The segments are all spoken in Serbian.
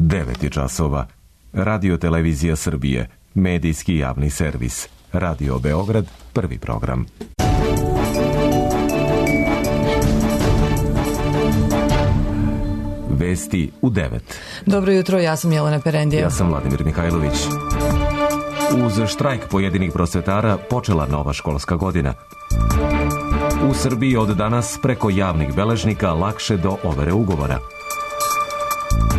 9 časova. Radio Televizija Srbije, medijski javni servis. Radio Beograd, prvi program. Vesti u 9. Dobro jutro, ja sam Jelena Perendija. Ja sam Vladimir Mihajlović. Uz štrajk pojedinih prosvetara počela nova školska godina. U Srbiji od danas preko javnih beležnika lakše do overe ugovora.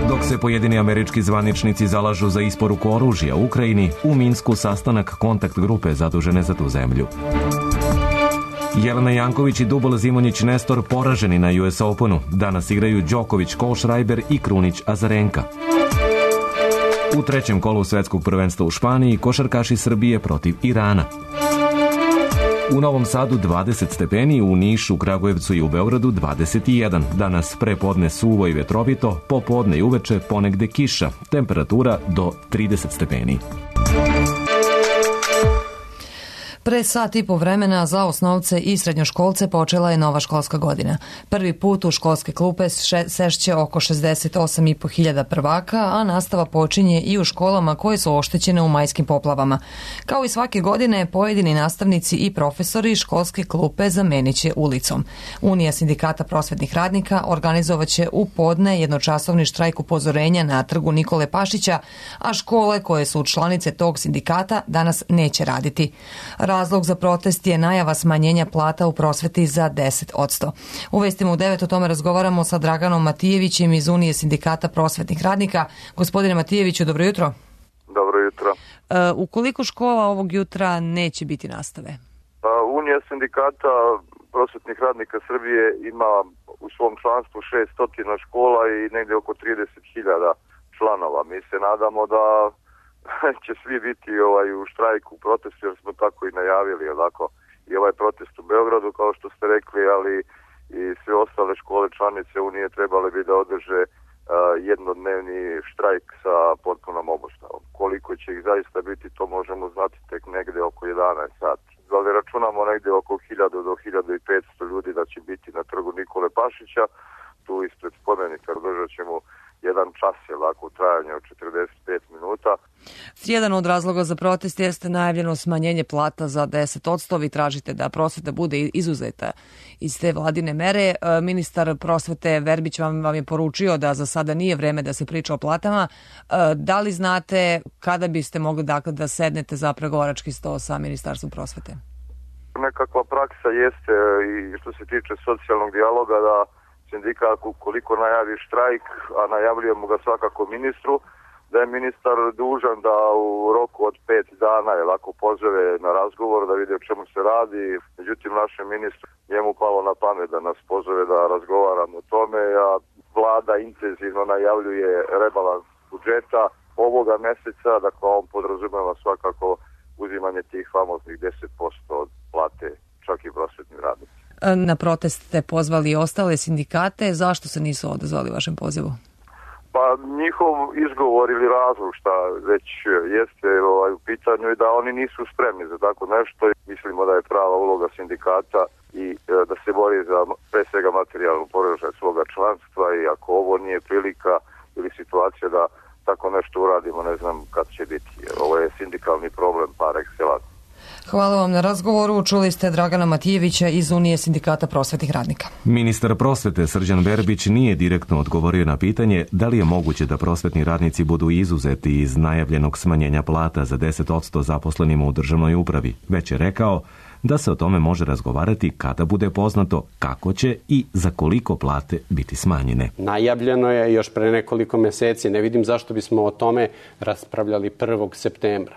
Dok se pojedini američki zvaničnici zalažu za isporuku oružja Ukrajini, u Minsku sastanak kontakt grupe zadužene za tu zemlju. Jelena Janković i Dubol Zimonjić Nestor poraženi na US Openu. Danas igraju Đoković, Kohlschreiber i Krunić Azarenka. U trećem kolu svetskog prvenstva u Španiji košarkaši Srbije protiv Irana. U Novom Sadu 20 stepeni, u Nišu, Kragujevcu i u Beogradu 21. Danas prepodne suvo i vetrovito, popodne i uveče ponegde kiša. Temperatura do 30 stepeni. Pre sat i po vremena za osnovce i srednjoškolce počela je nova školska godina. Prvi put u školske klupe sešće oko 68.500 prvaka, a nastava počinje i u školama koje su oštećene u majskim poplavama. Kao i svake godine, pojedini nastavnici i profesori školske klupe zamenit će ulicom. Unija sindikata prosvetnih radnika organizovaće u podne jednočasovni štrajk upozorenja na trgu Nikole Pašića, a škole koje su članice tog sindikata danas neće raditi. Razlog za protest je najava smanjenja plata u prosveti za 10%. U vestima u 9 o tome razgovaramo sa Draganom Matijevićem iz Unije sindikata prosvetnih radnika. Gospodine Matijeviću, dobro jutro. Dobro jutro. U koliko škola ovog jutra neće biti nastave? Unija sindikata prosvetnih radnika Srbije ima u svom članstvu 600 škola i negdje oko 30.000 članova. Mi se nadamo da će svi biti u štrajku, u protestu, jer smo tako i najavili, i ovaj protest u Beogradu, kao što ste rekli, ali i sve ostale škole članice Unije trebale bi da održe jednodnevni štrajk sa potpunom obustavom. Koliko će ih zaista biti, to možemo znati tek negde oko 11 sati. Ali računamo negde oko 1000 do 1500 ljudi da će biti na trgu Nikole Pašića, tu ispred spomenika održat ćemo jedan čas u trajanju od 45 minuta. Jedan od razloga za protest jeste najavljeno smanjenje plata za 10%. Vi tražite da prosveta bude izuzeta iz te vladine mere. Ministar prosvete Verbić vam je poručio da za sada nije vreme da se priča o platama. Da li znate kada biste mogli da sednete za pregovarački sto sa Ministarstvom prosvete? Nekakva praksa jeste i što se tiče socijalnog dijaloga da sindikat ukoliko najavi štrajk, a najavljujemo ga svakako ministru, da je ministar dužan da u roku od 5 dana pozove na razgovor da vidi o čemu se radi. Međutim, našem ministru njemu palo na pamet da nas pozove da razgovaramo o tome, a vlada intenzivno najavljuje rebalans budžeta ovoga meseca, dakle on podrazumeva svakako uzimanje tih famoznih 10% od plate, čak i prosvetnim radnicima. Na protest ste pozvali i ostale sindikate. Zašto se nisu odazvali vašem pozivu? Pa njihov izgovor ili razlog šta već jeste u pitanju i da oni nisu spremni za tako nešto. Mislimo da je prava uloga sindikata i da se bori za pre svega materijalnu položaj svoga članstva i ako ovo nije prilika ili situacija da tako nešto uradimo, ne znam kad će biti. Ovo je sindikalni problem par excellence. Hvala vam na razgovoru. Čuli ste Dragana Matijevića iz Unije sindikata prosvetnih radnika. Ministar prosvete Srđan Verbić nije direktno odgovorio na pitanje da li je moguće da prosvetni radnici budu izuzeti iz najavljenog smanjenja plata za 10% zaposlenima u državnoj upravi, već je rekao da se o tome može razgovarati kada bude poznato kako će i za koliko plate biti smanjene. Najavljeno je još pre nekoliko meseci, ne vidim zašto bismo o tome raspravljali 1. septembra.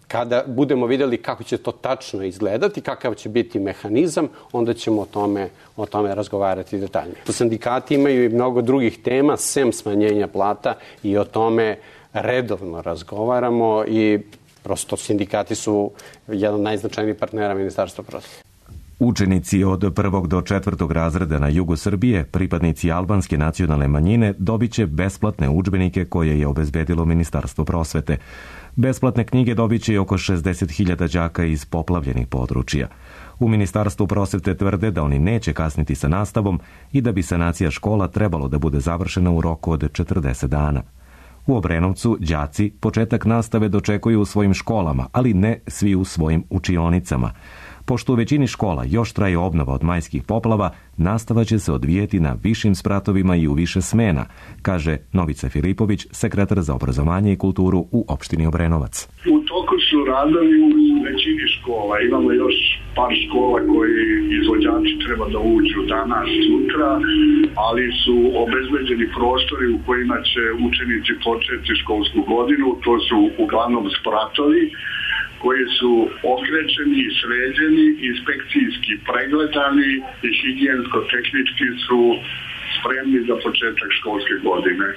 Kada budemo vidjeli kako će to tačno izgledati, kakav će biti mehanizam, onda ćemo o tome razgovarati detaljnije. Sindikati imaju i mnogo drugih tema, sem smanjenja plata, i o tome redovno razgovaramo i prosto sindikati su jedan od najznačajnijih partnera Ministarstva prosvete. Učenici od 1. do 4. razreda na jugu Srbije, pripadnici albanske nacionalne manjine, dobit će besplatne udžbenike koje je obezbedilo Ministarstvo prosvete. Besplatne knjige dobit će i oko 60.000 đaka iz poplavljenih područja. U Ministarstvu prosvete tvrde da oni neće kasniti sa nastavom i da bi sanacija škola trebalo da bude završena u roku od 40 dana. U Obrenovcu đaci početak nastave dočekuju u svojim školama, ali ne svi u svojim učionicama. Pošto u većini škola još traje obnova od majskih poplava, nastava će se odvijeti na višim spratovima i u više smena, kaže Novica Filipović, sekretar za obrazovanje i kulturu u opštini Obrenovac. U toku su radovi u većini škola. Imamo još par škola koji izvođači treba da uđu danas, sutra, ali su obezbeđeni prostori u kojima će učenici početi školsku godinu. To su uglavnom spratovi koji su okrećeni, sređeni, inspekcijski pregledani i higijensko-tehnički su spremni za početak školske godine.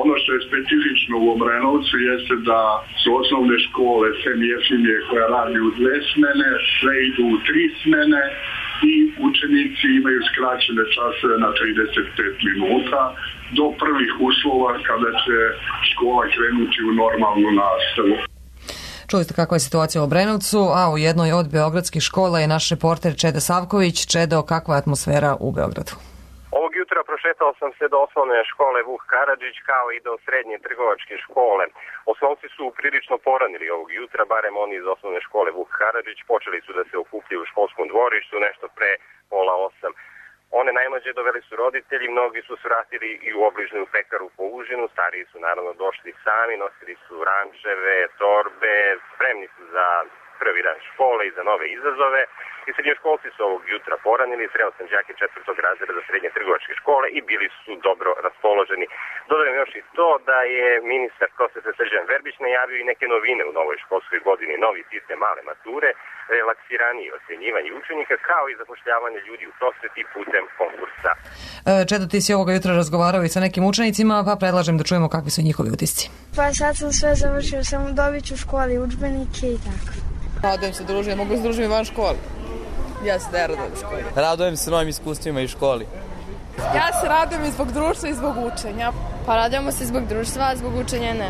Ono što je specifično u Obrenovcu jeste da su osnovne škole sem Jefimije koja radi u 2 smene, sve idu u 3 smene i učenici imaju skraćene časove na 35 minuta do prvih uslova kada će škola krenuti u normalnu nastavu. Čuli ste kakva je situacija u Obrenovcu, a u jednoj od beogradskih škola je naš reporter Čeda Savković. Čedo, kakva je atmosfera u Beogradu? Ovog jutra prošetao sam se do osnovne škole Vuk Karadžić kao i do srednje trgovačke škole. Osnovci su prilično poranili ovog jutra, barem oni iz osnovne škole Vuk Karadžić. Počeli su da se okupljaju u školskom dvorištu nešto pre 7:30. One najmlađe doveli su roditelji, mnogi su svratili i u obližnju pekaru po užinu, stariji su naravno došli sami, nosili su rančeve, torbe, spremni su za prvi dan škole i za nove izazove. I srednjoškolci su ovog jutra poranili, sreo sam đake 4. razreda za srednje trgovačke škole i bili su dobro raspoloženi. Dodajem još i to da je ministar prosvete Srđan Verbić najavio i neke novine u novoj školskoj godini, novi sistem male mature, relaksiranije ocjenjivanje učenika, kao i zapošljavanje ljudi u prosveti putem konkursa. Čedo, ti si ovoga jutra razgovarao i sa nekim učenicima, pa predlažem da čujemo kakvi su njihovi utisci. Pa sad sam sve završio, samo dobit ću u školi udžbenike i tako. Radujem se druženju, mogu se družiti van škole. Ja se ne radujem školi. Radujem se novim iskustvima iz školi. Ja se radujem i zbog društva i zbog učenja. Pa radujemo se zbog društva, a zbog učenja ne.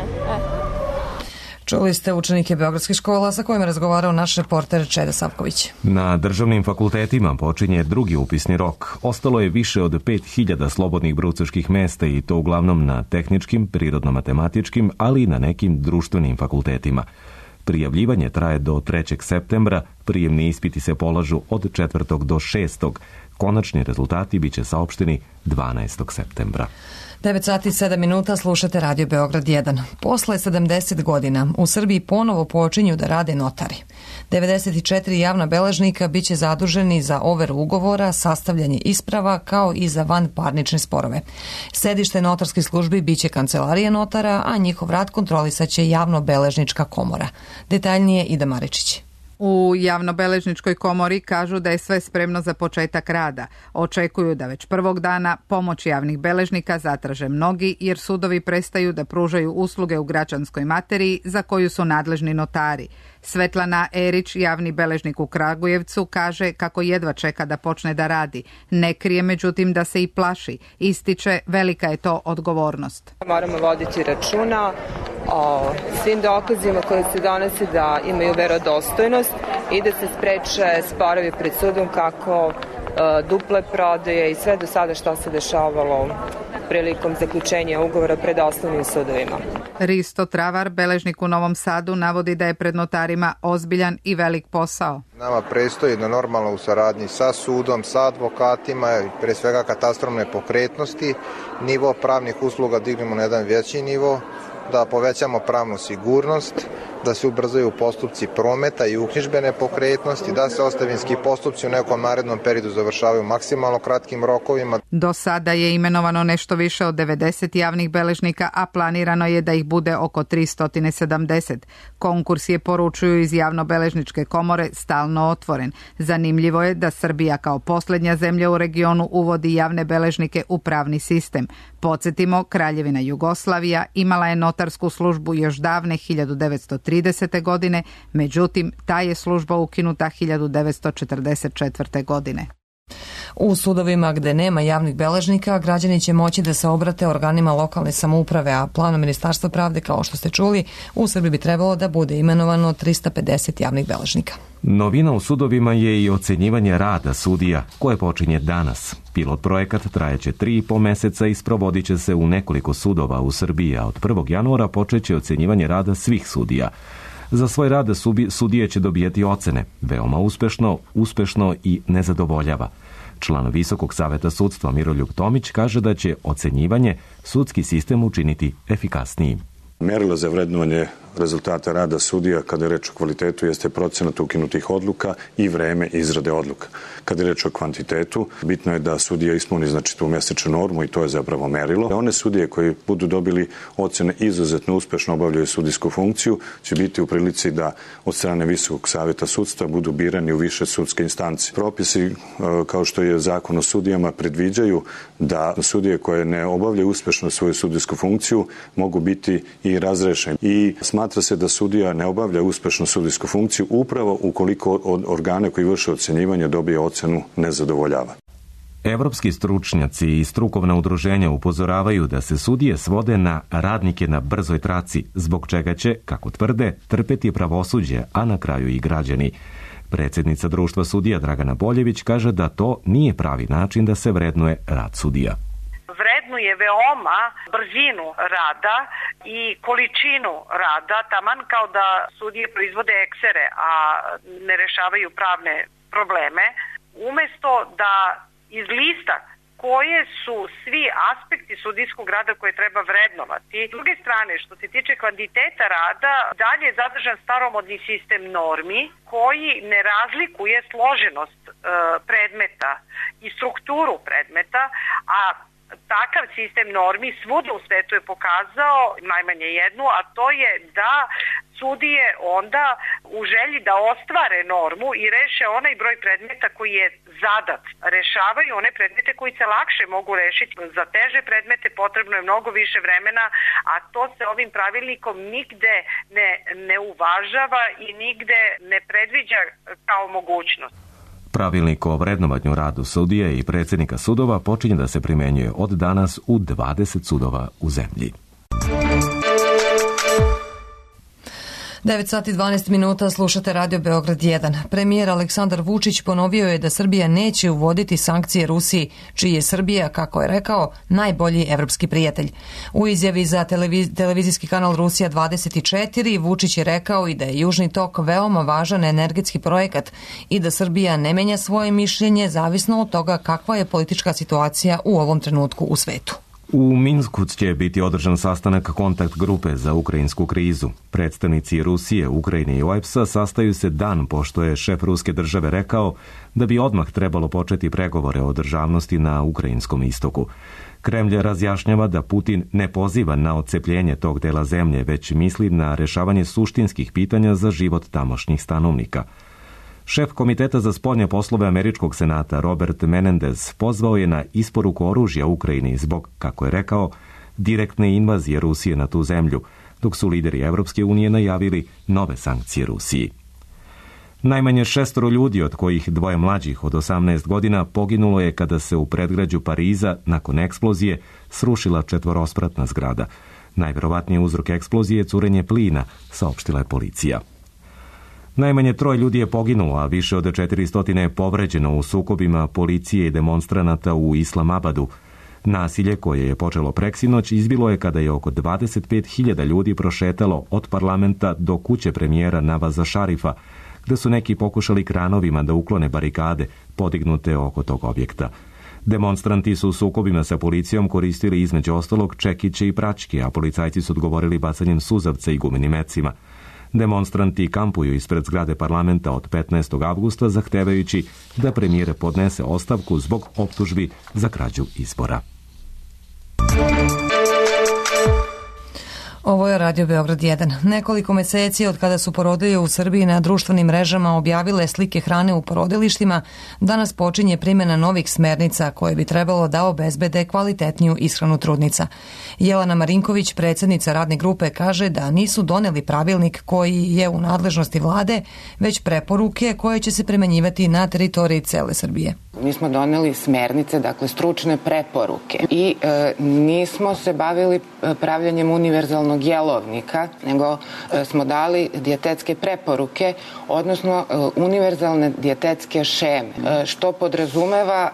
Čuli ste učenike beogradskih škola sa kojima je razgovarao naš reporter Čeda Savković. Na državnim fakultetima počinje drugi upisni rok. Ostalo je više od 5000 slobodnih brucoških mesta i to uglavnom na tehničkim, prirodno-matematičkim, ali i na nekim društvenim fakultetima. Prijavljivanje traje do 3. septembra, prijemni ispiti se polažu od 4. do 6. Konačni rezultati biće saopšteni 12. septembra. 9:07 slušate Radio Beograd 1. Posle 70 godina u Srbiji ponovo počinju da rade notari. 94 javna beležnika biće zaduženi za overu ugovora, sastavljanje isprava kao i za vanparnične sporove. Sedište notarskih službi biće kancelarija notara, a njihov rad kontrolisaće javno-beležnička komora. Detaljnije Ida Maričić. U javnobeležničkoj komori kažu da je sve spremno za početak rada. Očekuju da već prvog dana pomoć javnih beležnika zatraže mnogi jer sudovi prestaju da pružaju usluge u građanskoj materiji za koju su nadležni notari. Svetlana Erić, javni beležnik u Kragujevcu, kaže kako jedva čeka da počne da radi. Ne krije međutim da se i plaši. Ističe velika je to odgovornost. Moramo voditi računa o svim dokazima koji se donose da imaju verodostojnost i da se spreče sporovi pred sudom kako duple prodaje i sve do sada što se dešavalo prilikom zaključenja ugovora pred osnovnim sudovima. Risto Travar, beležnik u Novom Sadu, navodi da je pred notarima ozbiljan i velik posao. Nama predstoji da normalno u saradnji sa sudom, sa advokatima i pre svega katastrom nepokretnosti nivo pravnih usluga dignemo na jedan veći nivo, da povećamo pravnu sigurnost, da se ubrzaju postupci prometa i uknjižbe nepokretnosti, da se ostavinski postupci u nekom narednom periodu završavaju maksimalno kratkim rokovima. Do sada je imenovano nešto više od 90 javnih beležnika, a planirano je da ih bude oko 370. Konkurs je, poručuju iz javnobeležničke komore, stalno otvoren. Zanimljivo je da Srbija kao posljednja zemlja u regionu uvodi javne beležnike u pravni sistem. Podsjetimo, Kraljevina Jugoslavija imala je notarsku službu još davne 1930. godine, međutim, ta je služba ukinuta 1944. godine. U sudovima gde nema javnih beležnika, građani će moći da se obrate organima lokalne samouprave, a planom Ministarstva pravde, kao što ste čuli, u Srbiji bi trebalo da bude imenovano 350 javnih beležnika. Novina u sudovima je i ocenjivanje rada sudija, koje počinje danas. Pilot projekat trajeće 3,5 meseca i sprovodit će se u nekoliko sudova u Srbiji, a od 1. januara počeće ocenjivanje rada svih sudija. Za svoj rad sudije će dobijati ocene, veoma uspešno i nezadovoljava. Član Visokog saveta sudstva Miroljub Tomić kaže da će ocenjivanje sudski sistem učiniti efikasnijim. Merilo za vrednovanje rezultata rada sudija kada je reč o kvalitetu jeste procenat ukinutih odluka i vreme izrade odluka. Kada je reč o kvantitetu, bitno je da sudija ispuni tu mesečnu normu i to je zapravo merilo. One sudije koji budu dobili ocene izuzetno uspešno obavljaju sudijsku funkciju će biti u prilici da od strane Visokog saveta sudstva budu birani u više sudske instance. Propisi kao što je zakon o sudijama predviđaju da sudije koje ne obavljaju uspešno svoju sudijsku funkciju mogu biti i razrešeni. I smatra se da sudija ne obavlja uspešnu sudijsku funkciju upravo ukoliko od organa koji vrše ocenjivanje dobije ocenu nezadovoljava. Evropski stručnjaci i strukovna udruženja upozoravaju da se sudije svode na radnike na brzoj traci, zbog čega će, kako tvrde, trpeti pravosuđe, a na kraju i građani. Predsjednica društva sudija Dragana Boljević kaže da to nije pravi način da se vrednuje rad sudija. Vrednuje veoma brzinu rada i količinu rada, taman kao da sudije proizvode eksere, a ne rešavaju pravne probleme, umesto da izlista koje su svi aspekti sudijskog rada koje treba vrednovati. S druge strane, što se tiče kvantiteta rada, dalje je zadržan staromodni sistem normi koji ne razlikuje složenost predmeta i strukturu predmeta, a takav sistem normi svuda u svetu je pokazao najmanje jednu, a to je da sudije onda u želji da ostvare normu i reše onaj broj predmeta koji je zadat. Rešavaju one predmete koji se lakše mogu rešiti. Za teže predmete potrebno je mnogo više vremena, a to se ovim pravilnikom nigde ne uvažava i nigde ne predviđa kao mogućnost. Pravilnik o vrednovanju radu sudija i predsjednika sudova počinje da se primenjuje od danas u 20 sudova u zemlji. 9 sati 12 minuta, slušate Radio Beograd 1. Premijer Aleksandar Vučić ponovio je da Srbija neće uvoditi sankcije Rusiji, čiji je Srbija, kako je rekao, najbolji evropski prijatelj. U izjavi za televizijski kanal Rusija 24 Vučić je rekao i da je Južni tok veoma važan energetski projekat i da Srbija ne menja svoje mišljenje zavisno od toga kakva je politička situacija u ovom trenutku u svetu. U Minsku će biti održan sastanak kontakt grupe za ukrajinsku krizu. Predstavnici Rusije, Ukrajine i OEBS-a sastaju se dan pošto je šef ruske države rekao da bi odmah trebalo početi pregovore o državnosti na ukrajinskom istoku. Kremlj razjašnjava da Putin ne poziva na odcepljenje tog dela zemlje, već misli na rešavanje suštinskih pitanja za život tamošnjih stanovnika. Šef Komiteta za spoljne poslove Američkog senata Robert Menendez pozvao je na isporuku oružja Ukrajini zbog, kako je rekao, direktne invazije Rusije na tu zemlju, dok su lideri Evropske unije najavili nove sankcije Rusiji. Najmanje 6 ljudi, od kojih 2 mlađih od 18 godina, poginulo je kada se u predgrađu Pariza, nakon eksplozije, srušila 4-spratna zgrada. Najverovatniji uzrok eksplozije je curenje plina, saopštila je policija. Najmanje 3 ljudi je poginulo, a više od 400 je povređeno u sukobima policije i demonstranata u Islamabadu. Nasilje, koje je počelo preksinoć, izbilo je kada je oko 25.000 ljudi prošetalo od parlamenta do kuće premijera Navaza Šarifa, gde su neki pokušali kranovima da uklone barikade podignute oko tog objekta. Demonstranti su u sukobima sa policijom koristili između ostalog čekiće i praćke, a policajci su odgovorili bacanjem suzavca i gumenim mecima. Demonstranti kampuju ispred zgrade parlamenta od 15. avgusta zahtevajući da premijer podnese ostavku zbog optužbi za krađu izbora. Ovo je Radio Beograd 1. Nekoliko meseci od kada su porodilje u Srbiji na društvenim mrežama objavile slike hrane u porodilištima, danas počinje primjena novih smernica koje bi trebalo da obezbede kvalitetniju ishranu trudnica. Jelena Marinković, predsjednica radne grupe, kaže da nisu doneli pravilnik koji je u nadležnosti vlade, već preporuke koje će se primenjivati na teritoriji cele Srbije. Mi smo doneli smernice, dakle stručne preporuke i nismo se bavili pravljanjem univerzalnog jelovnika, nego smo dali dijetetske preporuke, odnosno univerzalne dijetetske šeme, što podrazumeva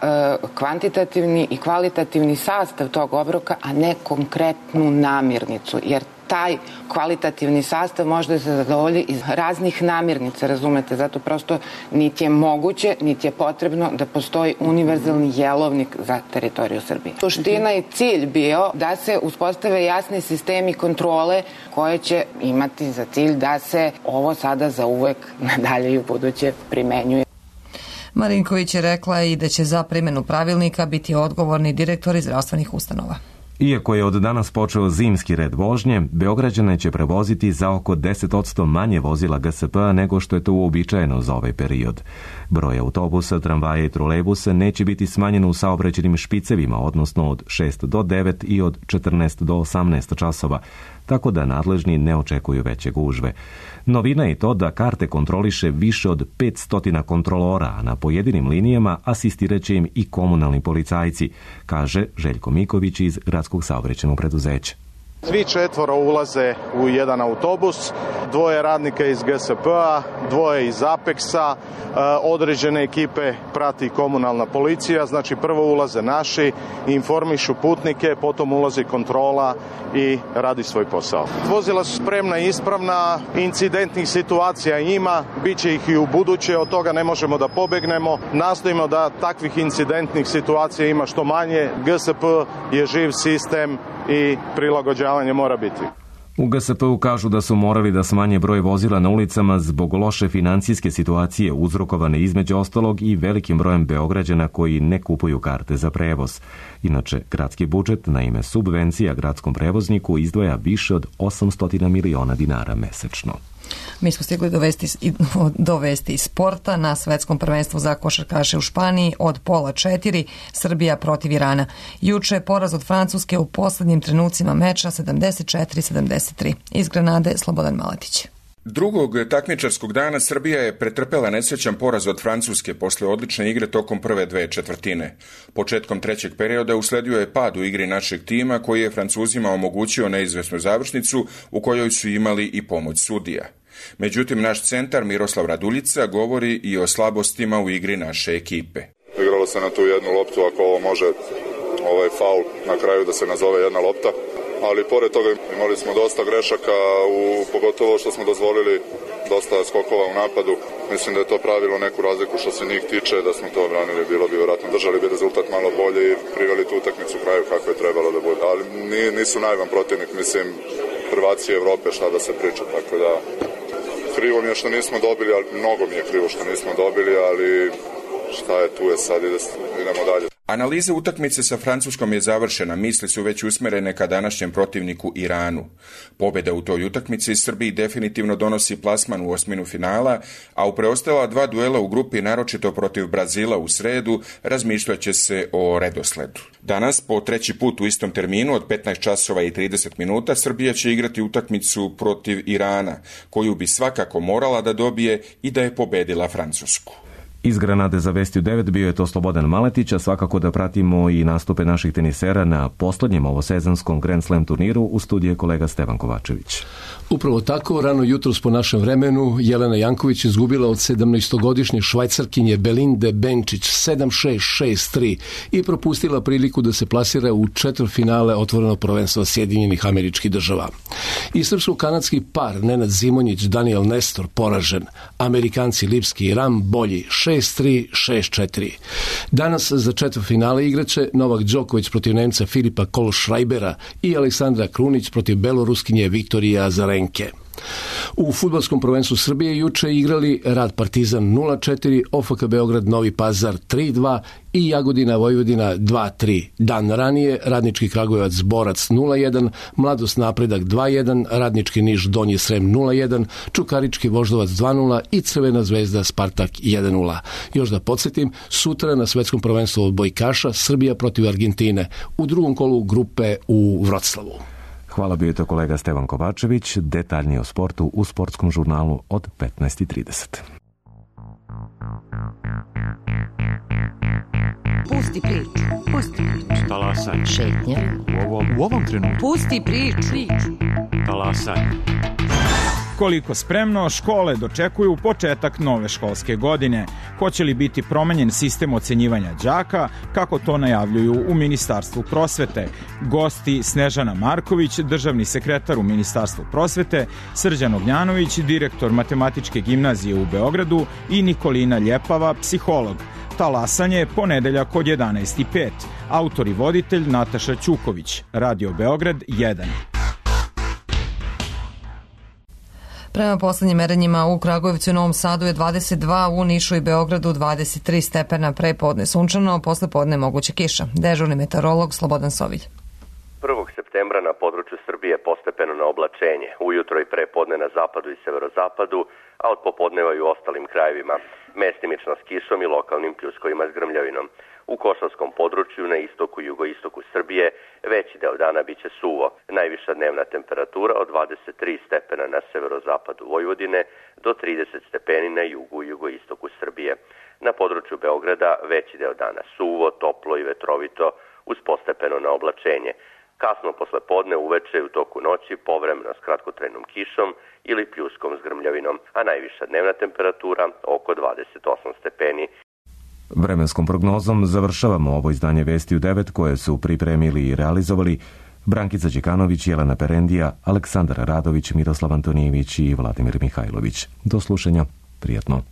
kvantitativni i kvalitativni sastav tog obroka, a ne konkretnu namirnicu, jer taj kvalitativni sastav može da se zadovolji iz raznih namirnica, razumete, zato prosto niti je moguće, niti je potrebno da postoji univerzalni jelovnik za teritoriju Srbije. Suština i cilj bio da se uspostave jasni sistemi kontrole koje će imati za cilj da se ovo sada za uvek nadalje i u buduće primenjuje. Marinković je rekla i da će za primjenu pravilnika biti odgovorni direktori zdravstvenih ustanova. Iako je od danas počeo zimski red vožnje, Beograđane će prevoziti za oko 10% manje vozila GSP-a nego što je to uobičajeno za ovaj period. Broj autobusa, tramvaja i trolejbusa neće biti smanjen u saobraćajnim špicevima, odnosno od 6 do 9 i od 14 do 18 časova, tako da nadležni ne očekuju veće gužve. Novina je to da karte kontroliše više od 500 kontrolora, a na pojedinim linijama asistiraće im i komunalni policajci, kaže Željko Miković iz Gradskog saobraćajnog preduzeća. Svi 4 ulaze u jedan autobus, 2 radnika iz GSP-a, 2 iz Apexa, određene ekipe prati komunalna policija, znači prvo ulaze naši, informišu putnike, potom ulazi kontrola i radi svoj posao. Vozila su spremna i ispravna, incidentnih situacija ima, bit će ih i u buduće, od toga ne možemo da pobegnemo, nastojimo da takvih incidentnih situacija ima što manje, GSP je živ sistem i prilagođavanje mora biti. U GSP-u kažu da su morali da smanje broj vozila na ulicama zbog loše financijske situacije uzrokovane između ostalog i velikim brojem Beograđana koji ne kupuju karte za prevoz. Inače, gradski budžet na ime subvencija gradskom prevozniku izdvaja više od 800 miliona dinara mesečno. Mi smo stigli do vesti iz sporta na svetskom prvenstvu za košarkaše u Španiji od 3:30 Srbija protiv Irana. Juče je poraz od Francuske u poslednjim trenucima meča 74-73. Iz Granade Slobodan Maletić. Drugog takmičarskog dana Srbija je pretrpela nesrećan poraz od Francuske posle odlične igre tokom prve 2 četvrtine. Početkom trećeg perioda usledio je pad u igri našeg tima koji je Francuzima omogućio neizvesnu završnicu u kojoj su imali i pomoć sudija. Međutim, naš centar Miroslav Raduljica govori i o slabostima u igri naše ekipe. Igralo se na tu jednu loptu, ako ovo može faul na kraju da se nazove jedna lopta. Ali pored toga imali smo dosta grešaka, pogotovo što smo dozvolili dosta skokova u napadu. Mislim da je to pravilo neku razliku što se njih tiče, da smo to obranili, bilo bi vjerojatno držali bi rezultat malo bolje i priveli tu utakmicu u kraju kako je trebalo da bude. Ali nisu najvan protivnik, mislim, prvaci Evrope, šta da se priča, tako da krivo mi je što nismo dobili, ali mnogo mi je krivo što nismo dobili, ali šta je tu je sad, idemo dalje. Analiza utakmice sa Francuskom je završena, misli su već usmerene ka današnjem protivniku Iranu. Pobjeda u toj utakmici Srbiji definitivno donosi plasman u osminu finala, a u preostala 2 duela u grupi, naročito protiv Brazila u sredu, razmišljaće se o redosledu. Danas, po 3. put u istom terminu od 15 časova i 30 minuta, Srbija će igrati utakmicu protiv Irana, koju bi svakako morala da dobije i da je pobedila Francusku. Iz Granade za Vesti u 9 bio je to Slobodan Maletić, a svakako da pratimo i nastupe naših tenisera na poslednjem ovosezonskom Grand Slam turniru. U studiju je kolega Stevan Kovačević. Upravo tako, rano jutros po našem vremenu, Jelena Janković izgubila od 17-godišnje Švajcarkinje Belinde Benčić 7-6, 6-3 i propustila priliku da se plasira u četvrtfinale otvorenog prvenstva Sjedinjenih Američkih Država. I srpsko-kanadski par Nenad Zimonjić, Daniel Nestor poražen, Amerikanci Lipski i Ram bolji 6-3, 6-4. Danas za četvrtfinale igraće Novak Đoković protiv Nemca Filipa Kohlschreibera i Aleksandra Krunić protiv Beloruskinje Viktorije Azarenke. U fudbalskom prvenstvu Srbije juče igrali Rad Partizan 0-4, OFK Beograd Novi Pazar 3-2 i Jagodina Vojvodina 2-3. Dan ranije Radnički Kragujevac Borac 0-1, Mladost Napredak 2-1, Radnički Niš Donji Srem 0-1, Čukarički Voždovac 2-0 i Crvena Zvezda Spartak 1-0. Još da podsjetim, sutra na svetskom prvenstvu odbojkaša Srbija protiv Argentine u drugom kolu grupe u Vroclavu. Hvala, bio je to kolega Stevan Kovačević. Detaljnije o sportu u sportskom žurnalu od 15:30. Pusti priču. Pusti priču. Talasaj. Šetnja. U ovom trenutku. Pusti priču. Talasaj. Koliko spremno, škole dočekuju početak nove školske godine. Hoće li biti promenjen sistem ocenjivanja đaka, kako to najavljuju u Ministarstvu prosvete? Gosti Snežana Marković, državni sekretar u Ministarstvu prosvete, Srđan Ognjanović, direktor Matematičke gimnazije u Beogradu i Nikolina Ljepava, psiholog. Talasanje ponedeljak od 11:05. Autor i voditelj Nataša Ćuković. Radio Beograd 1. Prema poslednjim merenjima u Kragujevcu i Novom Sadu je 22, u Nišu i Beogradu 23 stepena, pre podne sunčano, posle podne moguće kiša. Dežurni meteorolog Slobodan Sovilj. 1. septembra na području Srbije postepeno na oblačenje, ujutro i pre podne na zapadu i severozapadu, a od popodneva i u ostalim krajevima, mestimično s kišom i lokalnim pljuskovima s grmljavinom. U Košavskom području na istoku i jugoistoku Srbije veći deo dana biće suvo. Najviša dnevna temperatura od 23 stepena na severozapadu Vojvodine do 30 stepeni na jugu i jugoistoku Srbije. Na području Beograda veći deo dana suvo, toplo i vetrovito uz postepeno na oblačenje. Kasno posle podne, uveče i u toku noći povremeno s kratkotrajnom kišom ili pljuskom s grmljavinom, a najviša dnevna temperatura oko 28 stepeni. Vremenskom prognozom završavamo ovo izdanje Vesti u 9 koje su pripremili i realizovali Brankica Đekanović, Jelena Perendija, Aleksandar Radović, Miroslav Antonijević i Vladimir Mihajlović. Do slušanja, prijatno.